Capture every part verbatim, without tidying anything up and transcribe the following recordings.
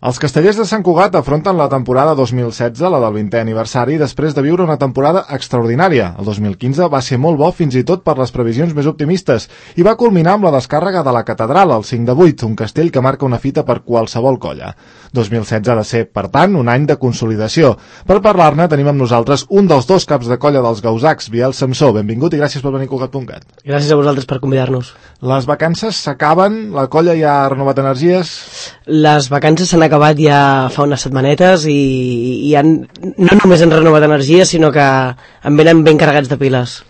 Els castellers de Sant Cugat afronten la temporada dos mil setze, la del vintè aniversari, després de viure una temporada extraordinària. El dos mil quinze va ser molt bo fins i tot per les previsions més optimistes i va culminar amb la descàrrega de la catedral, el cinc de vuit, un castell que marca una fita per qualsevol colla. dos mil setze ha de ser, per tant, un any de consolidació. Per parlar-ne tenim amb nosaltres un dels dos caps de colla dels Gausacs, Biel Samsó. Benvingut i gràcies per venir a Cugat punt cat. Gràcies a vosaltres per convidar-nos. Les vacances s'acaben, la colla ja ha renovat energies? Les vacances s'han acabat ja fa unes setmanetes i, i han, no només han renovat energies, sinó que en venen ben carregats de piles.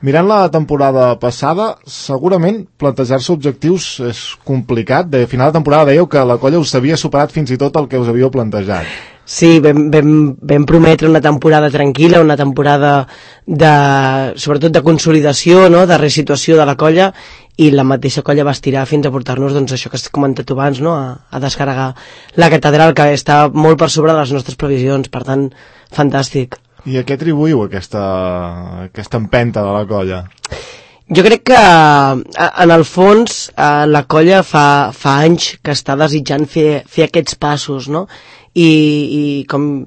Mirant la temporada passada, segurament plantejar-se objectius és complicat. De final de temporada dèieu que la colla us havia superat fins i tot el que us havíeu plantejat. Sí, vam, vam, vam prometre una temporada tranquil·la, una temporada de, sobretot de consolidació, no?, de resituació de la colla, i la mateixa colla va estirar fins a portar-nos, doncs, això que has comentat abans, no?, a, a descarregar la catedral, que està molt per sobre de les nostres previsions, per tant, fantàstic. I a què atribuïu aquesta, aquesta empenta de la colla? Jo crec que, en el fons, la colla fa, fa anys que està desitjant fer, fer aquests passos, no?, i, i com,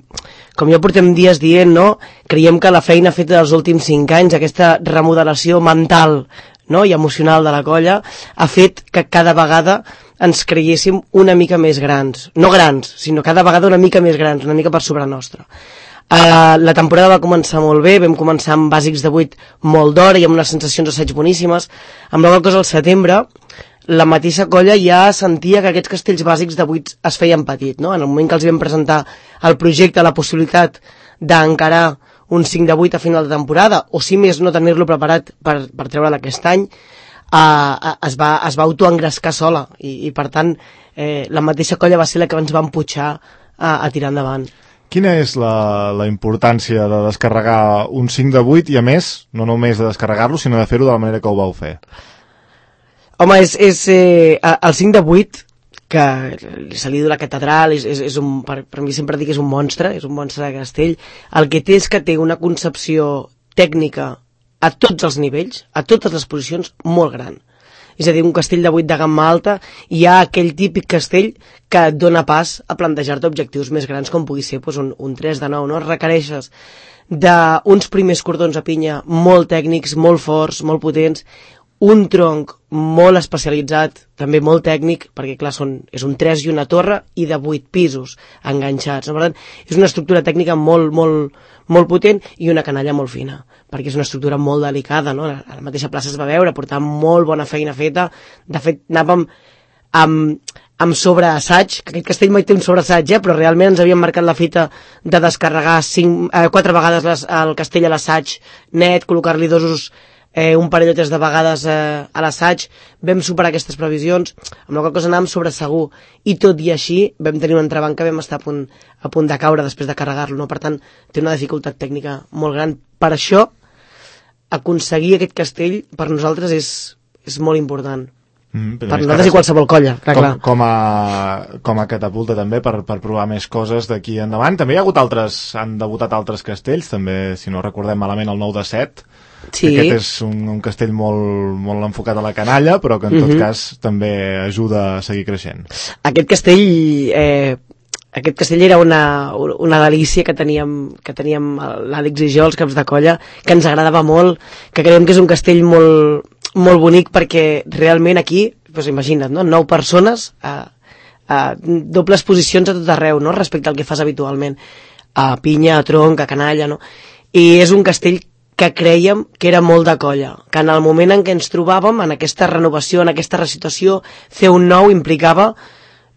com ja portem dies dient, no?, creiem que la feina feta dels últims cinc anys, aquesta remodelació mental, no?, i emocional de la colla, ha fet que cada vegada ens creiéssim una mica més grans. No grans, sinó cada vegada una mica més grans, una mica per sobre nostra. Uh, la temporada va començar molt bé, vam començar amb bàsics de vuit molt d'hora i amb unes sensacions d'assaig boníssimes. Amb la qual cosa al setembre, la mateixa colla ja sentia que aquests castells bàsics de vuit es feien petit, no? En el moment que els vam presentar el projecte, la possibilitat d'encarar un cinc de vuit a final de temporada, o si més no tenir-lo preparat per, per treure'l aquest any, uh, es va, es va autoengrescar sola i, i per tant eh, la mateixa colla va ser la que ens va empujar a, a tirar endavant. Quina és la, la importància de descarregar un cinc de vuit i, a més, no només de descarregar-lo, sinó de fer-ho de la manera que ho vau fer? Home, és, és eh, el cinc de vuit, que se li diu la catedral, és, és, és un, per, per mi sempre dic que és un monstre, és un monstre de castell. El que té és que té una concepció tècnica a tots els nivells, a totes les posicions, molt gran. És a dir, un castell de vuit de gamma alta, hi ha aquell típic castell que et dona pas a plantejar-te objectius més grans, com pugui ser doncs, un, un tres de nou, no? Requereixes d'uns primers cordons a pinya molt tècnics, molt forts, molt potents, un tronc molt especialitzat, també molt tècnic, perquè clar, són, és un tres i una torre i de vuit pisos enganxats. No? Per tant, és una estructura tècnica molt, molt, molt potent i una canalla molt fina, perquè és una estructura molt delicada, no? A la mateixa plaça es va veure, portava molt bona feina feta. De fet, anàvem amb, amb sobreassaig, que aquest castell mai té un sobreassaig, eh? Però realment ens havíem marcat la fita de descarregar cinc, eh, quatre vegades les, el castell a l'assaig net, col·locar-li dosos Eh, un parell o tres de vegades eh, a l'assaig. Vam superar aquestes previsions, amb la qual cosa anàvem sobre segur, i tot i així vam tenir un entrebanc que vam estar a punt, a punt de caure després de carregar-lo, no? Per tant, té una dificultat tècnica molt gran. Per això, aconseguir aquest castell per nosaltres és, és molt important. Mm, per nosaltres i qualsevol colla, clar, com, clar. Com, a, com a catapulta també per, per provar més coses d'aquí endavant. També hi ha hagut altres, han debutat altres castells, també, si no recordem malament, el nou de set. Sí. Aquest és un, un castell molt, molt enfocat a la canalla, però que en tot uh-huh. cas també ajuda a seguir creixent. Aquest castell eh, aquest castell era una, una delícia que teníem, que teníem l'Àlex i jo, els caps de colla, que ens agradava molt, que creiem que és un castell molt, molt bonic, perquè realment aquí, doncs imagina't, no? nou persones a, a dobles posicions a tot arreu, no? Respecte al que fas habitualment, a pinya, a tronc, a canalla, no? I és un castell que creiem que era molt de colla, que en el moment en què ens trobàvem, en aquesta renovació, en aquesta resituació, fer un nou implicava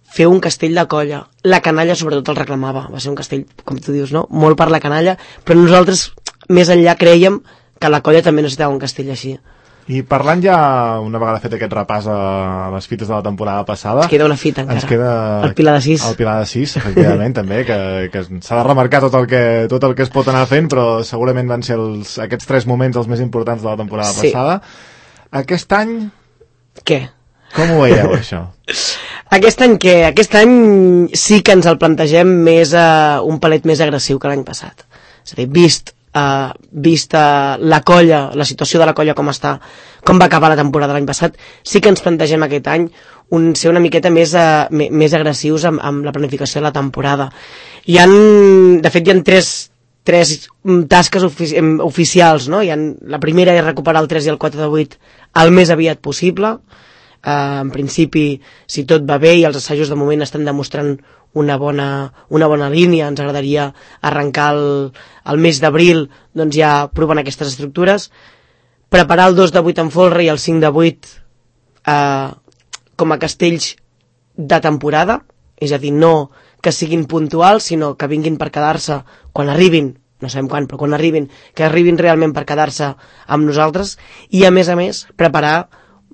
fer un castell de colla. La canalla sobretot el reclamava, va ser un castell, com tu dius, no? Molt per la canalla, però nosaltres més enllà creiem que la colla també necessitava un castell així. I parlant ja, una vegada fet aquest repàs a les fites de la temporada passada... Ens queda una fita encara, ens queda el Pilar de sis. El Pilar de sis, efectivament, també, que, que s'ha de remarcar tot el, que, tot el que es pot anar fent, però segurament van ser els, aquests tres moments els més importants de la temporada sí. passada. Aquest any... Què? Com ho veieu, això? Aquest any què? Aquest any sí que ens el plantegem més uh, un palet més agressiu que l'any passat. És a dir, vist... Uh, vista la colla, la situació de la colla com està, com va acabar la temporada l'any passat, sí que ens plantegem aquest any un, ser una miqueta més, uh, més agressius amb, amb la planificació de la temporada. Hi han, de fet, hi ha tres, tres tasques ofici oficials, no? Hi ha, la primera és recuperar el tres i el quatre de vuit el més aviat possible. Uh, en principi, si tot va bé i els assajos de moment estan demostrant una bona, una bona línia, ens agradaria arrencar el, el mes d'abril doncs ja provant aquestes estructures, preparar el dos de vuit en folre i el cinc de vuit uh, com a castells de temporada, és a dir, no que siguin puntuals, sinó que vinguin per quedar-se quan arribin, no sabem quan, però quan arribin, que arribin realment per quedar-se amb nosaltres, i a més a més preparar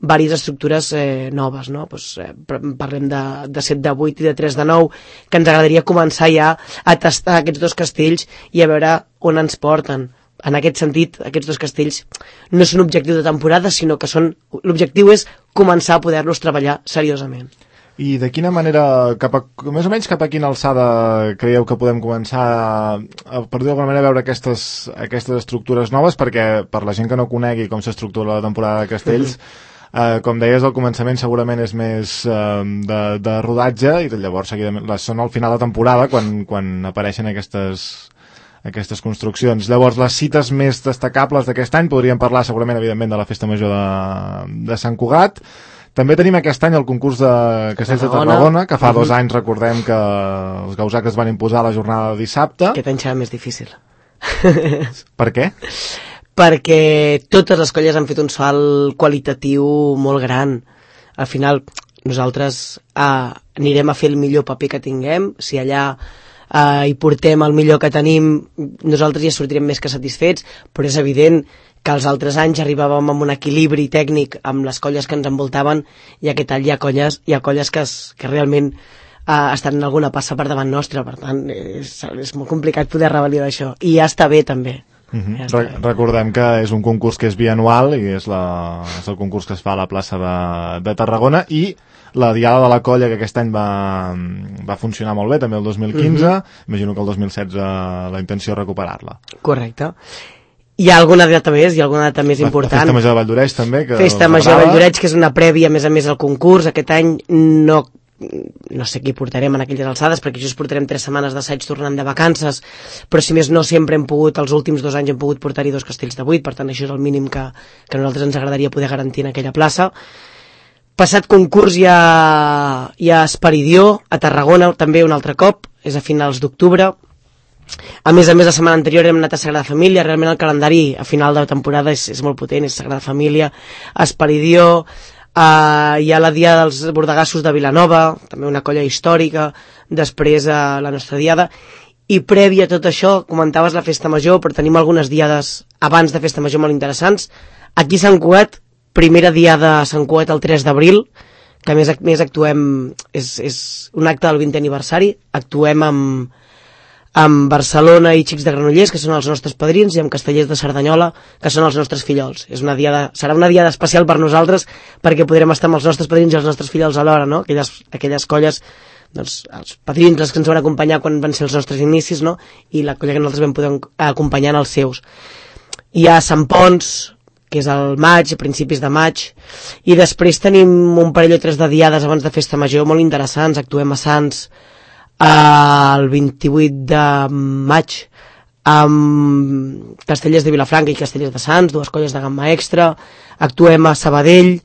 diverses estructures eh, noves, no? Pues, eh, parlem de, de set de vuit i de tres de nou, que ens agradaria començar ja a tastar aquests dos castells i a veure on ens porten. En aquest sentit, aquests dos castells no són objectiu de temporada, sinó que són l'objectiu és començar a poder-los treballar seriosament. I de quina manera, cap a, més o menys cap a quina alçada creieu que podem començar a, a per dir d'alguna manera, a veure aquestes, aquestes estructures noves? Perquè per la gent que no conegui com s'estructura la temporada de castells, Uh, com deies, al començament segurament és més uh, de, de rodatge i llavors seguidament, són al final de temporada quan, quan apareixen aquestes, aquestes construccions. Llavors, les cites més destacables d'aquest any podríem parlar segurament, evidentment, de la Festa Major de, de Sant Cugat. També tenim aquest any el concurs de Castells de Tarragona, que fa uh-huh. dos anys recordem que els gausacs es van imposar la jornada de dissabte. Aquest any serà més difícil. Per què? Perquè totes les colles han fet un salt qualitatiu molt gran. Al final, nosaltres eh, anirem a fer el millor paper que tinguem. Si allà eh, hi portem el millor que tenim, nosaltres ja sortirem més que satisfets, però és evident que els altres anys arribàvem amb un equilibri tècnic amb les colles que ens envoltaven, i aquest any hi ha colles, hi ha colles que, es, que realment eh, estan en alguna passa per davant nostra, per tant és, és molt complicat poder revelar d'això, i ja està bé també. Uh-huh. ja Re recordem que és un concurs que és bianual i és, la, és el concurs que es fa a la plaça de, de Tarragona, i la Diada de la Colla, que aquest any va, va funcionar molt bé també el dos mil quinze, uh-huh. imagino que el dos mil setze la intenció és recuperar-la. Correcte. Hi ha alguna data més, hi ha alguna data més la, important. La Festa Major de Valldoreix també, que Festa Major de Valldoreix, que és una prèvia a més a més al concurs. Aquest any no no sé qui portarem en aquelles alçades, perquè just portarem tres setmanes d'assaig tornant de vacances, però si més no sempre hem pogut, els últims dos anys hem pogut portar-hi dos castells de vuit, per tant això és el mínim que, que a nosaltres ens agradaria poder garantir en aquella plaça. Passat concurs hi ha, hi ha Esperidió a Tarragona també un altre cop, és a finals d'octubre. A més a més, la setmana anterior hem anat a Sagrada Família. Realment el calendari a final de temporada és, és molt potent, és Sagrada Família, Esperidió. Uh, hi ha la Diada dels Bordegassos de Vilanova, també una colla històrica, després uh, la nostra Diada, i prèvia a tot això comentaves la Festa Major, però tenim algunes diades abans de Festa Major molt interessants. Aquí a Sant Cugat, primera Diada a Sant Cugat el tres d'abril, que a més, més actuem, és, és un acte del vintè aniversari, actuem amb amb Barcelona i Xics de Granollers, que són els nostres padrins, i amb Castellers de Cerdanyola, que són els nostres fillols. És una diada, serà una diada especial per nosaltres, perquè podrem estar amb els nostres padrins i els nostres fillols alhora, no? Aquelles, aquelles colles, doncs, els padrins, els que ens van acompanyar quan van ser els nostres inicis, no? I la colla que nosaltres vam poder acompanyar en els seus. Hi ha Sant Pons, que és al maig, a principis de maig, i després tenim un parell o tres de diades abans de Festa Major molt interessants. Actuem a Sants el vint-i-vuit de maig amb Castellers de Vilafranca i Castellers de Sants, dues colles de gamma extra. Actuem a Sabadell,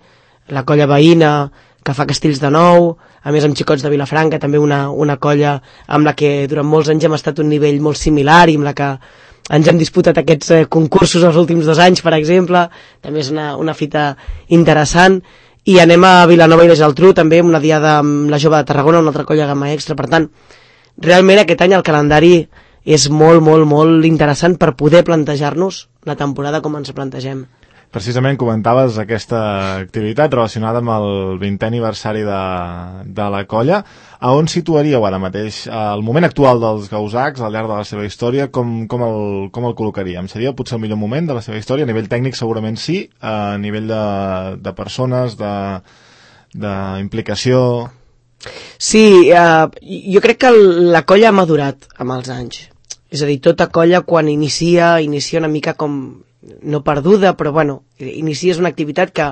la colla veïna que fa castells de nou, a més amb Xicots de Vilafranca, també una, una colla amb la que durant molts anys hem estat a un nivell molt similar i amb la que ens hem disputat aquests eh, concursos els últims dos anys, per exemple. També és una, una fita interessant. I anem a Vilanova i la Geltrú, també una diada amb la Jove de Tarragona, una altra colla gamma extra. Per tant, realment aquest any el calendari és molt, molt, molt interessant per poder plantejar-nos la temporada com ens plantegem. Precisament comentaves aquesta activitat relacionada amb el vintè aniversari de, de la colla. A on situaríeu ara mateix el moment actual dels gausacs al llarg de la seva història? Com, com, el, com el col·locaríem? Seria potser el millor moment de la seva història? A nivell tècnic segurament sí, a nivell de, de persones, d'implicació... Sí, eh, jo crec que la colla ha madurat amb els anys. És a dir, tota colla quan inicia, inicia una mica com... no perduda, però bueno, inicies una activitat que,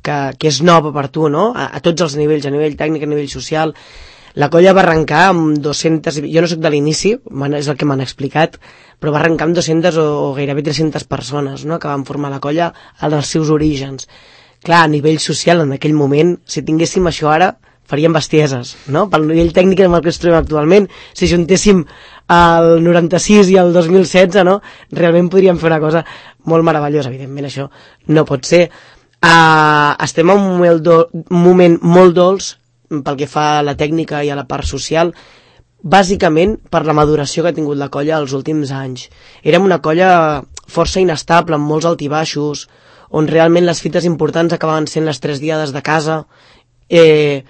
que, que és nova per tu, no? A, a tots els nivells, a nivell tècnic, a nivell social. La colla va arrencar amb dues-centes, jo no soc de l'inici, és el que m'han explicat, però va arrencar amb dues-centes o, o gairebé tres-centes persones, no?, que van formar la colla als seus orígens. Clar, a nivell social, en aquell moment, si tinguéssim això ara, faríem bestieses, no?, pel nivell tècnic amb el que ens trobem actualment. Si juntéssim el noranta-sis i el dos mil setze, no?, realment podríem fer una cosa molt meravellosa. Evidentment això no pot ser. Uh, estem en un moment, do, un moment molt dolç pel que fa a la tècnica i a la part social, bàsicament per la maduració que ha tingut la colla els últims anys. Érem una colla força inestable, amb molts altibaixos, on realment les fites importants acabaven sent les tres diades de casa, eh,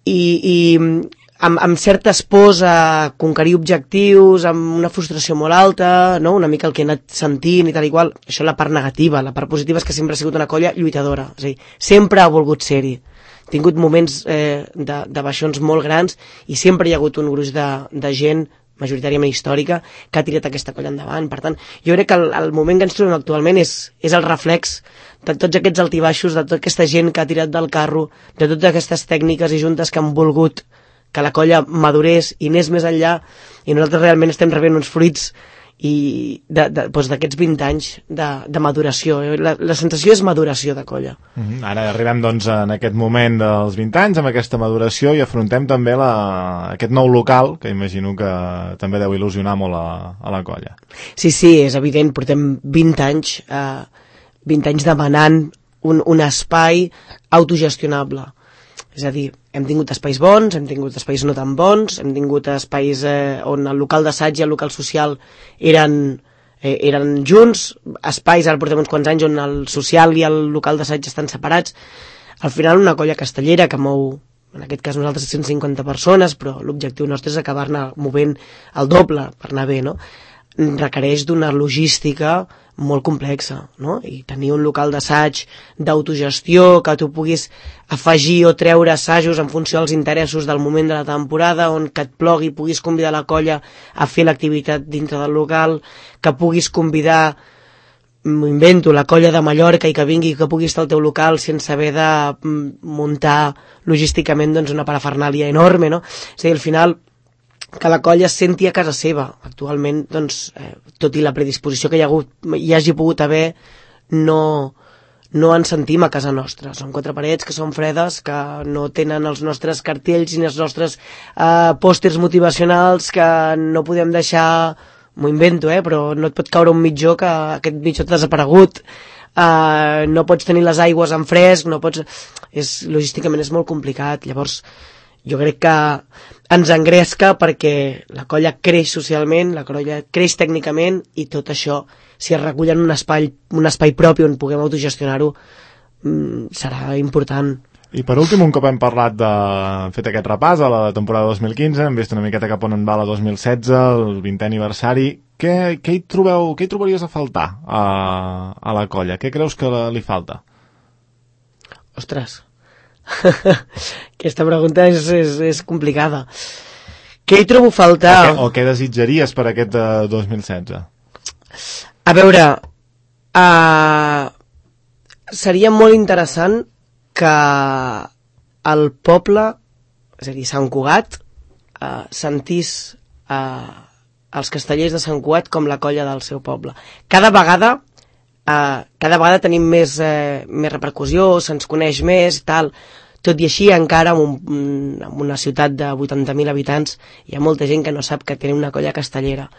i, i amb, amb certes pors a conquerir objectius, amb una frustració molt alta, no?, una mica el que he anat sentint i tal i qual. Això és la part negativa. La part positiva és que sempre ha sigut una colla lluitadora, és a dir, sempre ha volgut ser-hi. Tingut moments eh, de, de baixons molt grans i sempre hi ha hagut un gruix de, de gent majoritàriament històrica que ha tirat aquesta colla endavant. Per tant, jo crec que el, el moment que ens trobem actualment és, és el reflex de tots aquests altibaixos, de tota aquesta gent que ha tirat del carro, de totes aquestes tècniques i juntes que han volgut que la colla madurés i anés més enllà, i nosaltres realment estem rebent uns fruits i d'aquests doncs vint anys de, de maduració. La, la sensació és maduració de colla. Mm-hmm. Ara arribem doncs en aquest moment dels vint anys, amb aquesta maduració, i afrontem també la, aquest nou local, que imagino que també deu il·lusionar molt a, a la colla. Sí, sí, és evident, portem vint anys, eh, vint anys demanant un, un espai autogestionable. És a dir, hem tingut espais bons, hem tingut espais no tan bons, hem tingut espais eh, on el local d'assaig i el local social eren, eh, eren junts, espais, ara portem uns quants anys, on el social i el local d'assaig estan separats. Al final, una colla castellera que mou, en aquest cas nosaltres, cent cinquanta persones, però l'objectiu nostre és acabar-ne movent el doble per anar bé, no? Requereix d'una logística molt complexa, no? I tenir un local d'assaig d'autogestió, que tu puguis afegir o treure assajos en funció dels interessos del moment de la temporada, on que et plogui puguis convidar la colla a fer l'activitat dintre del local, que puguis convidar, m'ho invento, la colla de Mallorca i que vingui, que pugui estar al teu local sense haver de muntar logísticament doncs, una parafernàlia enorme, no? És a dir, al final, que la colla es senti a casa seva. Actualment, doncs, eh, tot i la predisposició que hi ha hagut, hi hagi pogut haver, no, no ens sentim a casa nostra. Són quatre parets que són fredes, que no tenen els nostres cartells ni els nostres eh, pòsters motivacionals, que no podem deixar, m'ho invento, eh, però no et pot caure un mitjó que aquest mitjó t'ha desaparegut, eh, no pots tenir les aigües en fresc, no pots... És, logísticament és molt complicat. Llavors, jo crec que ens engresca perquè la colla creix socialment, la colla creix tècnicament, i tot això, si es recull en un espai, un espai propi on puguem autogestionar-ho, serà important. I per últim, un cop hem parlat de... hem fet aquest repàs a la temporada dos mil quinze, hem vist una miqueta cap on en va la dos mil setze, el vintè aniversari, què, què, hi trobeu, què hi trobaries a faltar a, a la colla? Què creus que li falta? Ostres, aquesta pregunta és, és, és complicada. Què hi trobo a faltar? O què, o què desitjaries per aquest de dos mil setze? A veure, uh, seria molt interessant que el poble, és a dir, Sant Cugat, uh, sentís uh, els castellers de Sant Cugat com la colla del seu poble. Cada vegada Uh, cada vegada tenim més, eh, més repercussió, se'ns coneix més, tal. Tot i així, encara en, un, en una ciutat de vuitanta mil habitants hi ha molta gent que no sap que tenim una colla castellera.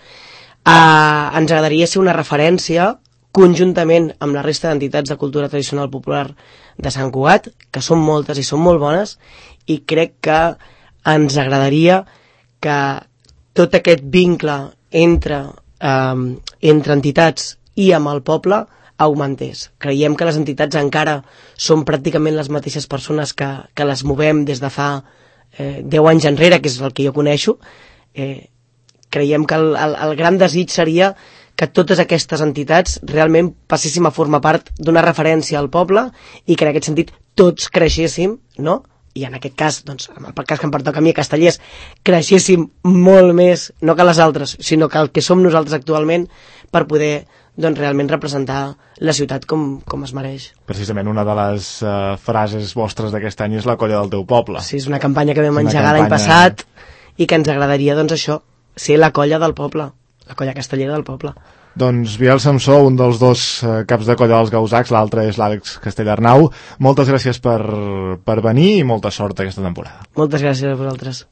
Uh, ens agradaria ser una referència conjuntament amb la resta d'entitats de cultura tradicional popular de Sant Cugat, que són moltes i són molt bones, i crec que ens agradaria que tot aquest vincle entre, uh, entre entitats i amb el poble augmentés. Creiem que les entitats encara són pràcticament les mateixes persones que, que les movem des de fa eh, deu anys enrere, que és el que jo coneixo. Eh, creiem que el, el, el gran desig seria que totes aquestes entitats realment passéssim a formar part d'una referència al poble i que en aquest sentit tots creixéssim, no? I en aquest cas, doncs, en el cas que em pertoca a mi a Castellers, creixéssim molt més, no que les altres, sinó que el que som nosaltres actualment, per poder doncs realment representar la ciutat com, com es mereix. Precisament una de les uh, frases vostres d'aquest any és la colla del teu poble. Sí, és una campanya que vam engegar campanya... l'any passat i que ens agradaria, doncs això, ser la colla del poble, la colla castellera del poble. Doncs Biel Samsó, un dels dos uh, caps de colla dels Gausacs, l'altre és l'Àlex Castellarnau. Moltes gràcies per, per venir i molta sort aquesta temporada. Moltes gràcies a vosaltres.